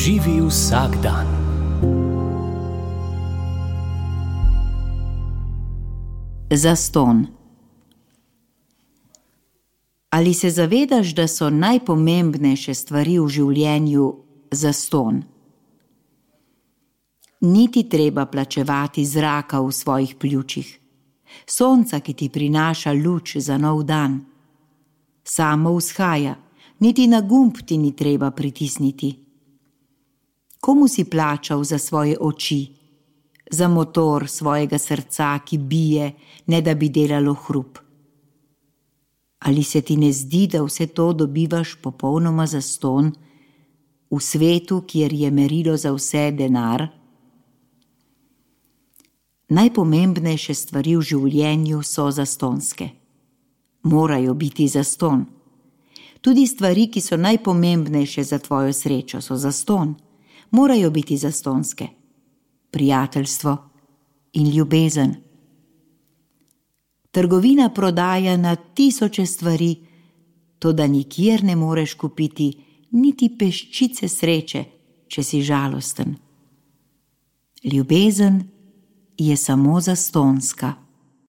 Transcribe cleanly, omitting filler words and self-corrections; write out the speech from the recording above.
Živi vsak dan. Zastonj. Ali se zavedaš, da so najpomembnejše stvari v življenju zastonj? Ni ti treba plačevati zraka v svojih pljučih, sonca, ki ti prinaša luč za nov dan. Samo vzhaja, niti na gumb ti ni treba pritisniti. Komu si plačal za svoje oči, za motor svojega srca, ki bije, ne da bi delalo hrup? Ali se ti ne zdi, da vse to dobivaš popolnoma zastonj, v svetu, kjer je merilo za vse denar? Najpomembnejše stvari v življenju so zastonjske. Morajo biti zastonj. Tudi stvari, ki so najpomembnejše za tvojo srečo, so zastonj. Morajo biti zastonjske. Prijateljstvo in ljubezen. Trgovina prodaja na tisoče stvari, toda nikjer ne moreš kupiti niti peščice sreče, če si žalosten. Ljubezen je samo zastonjska.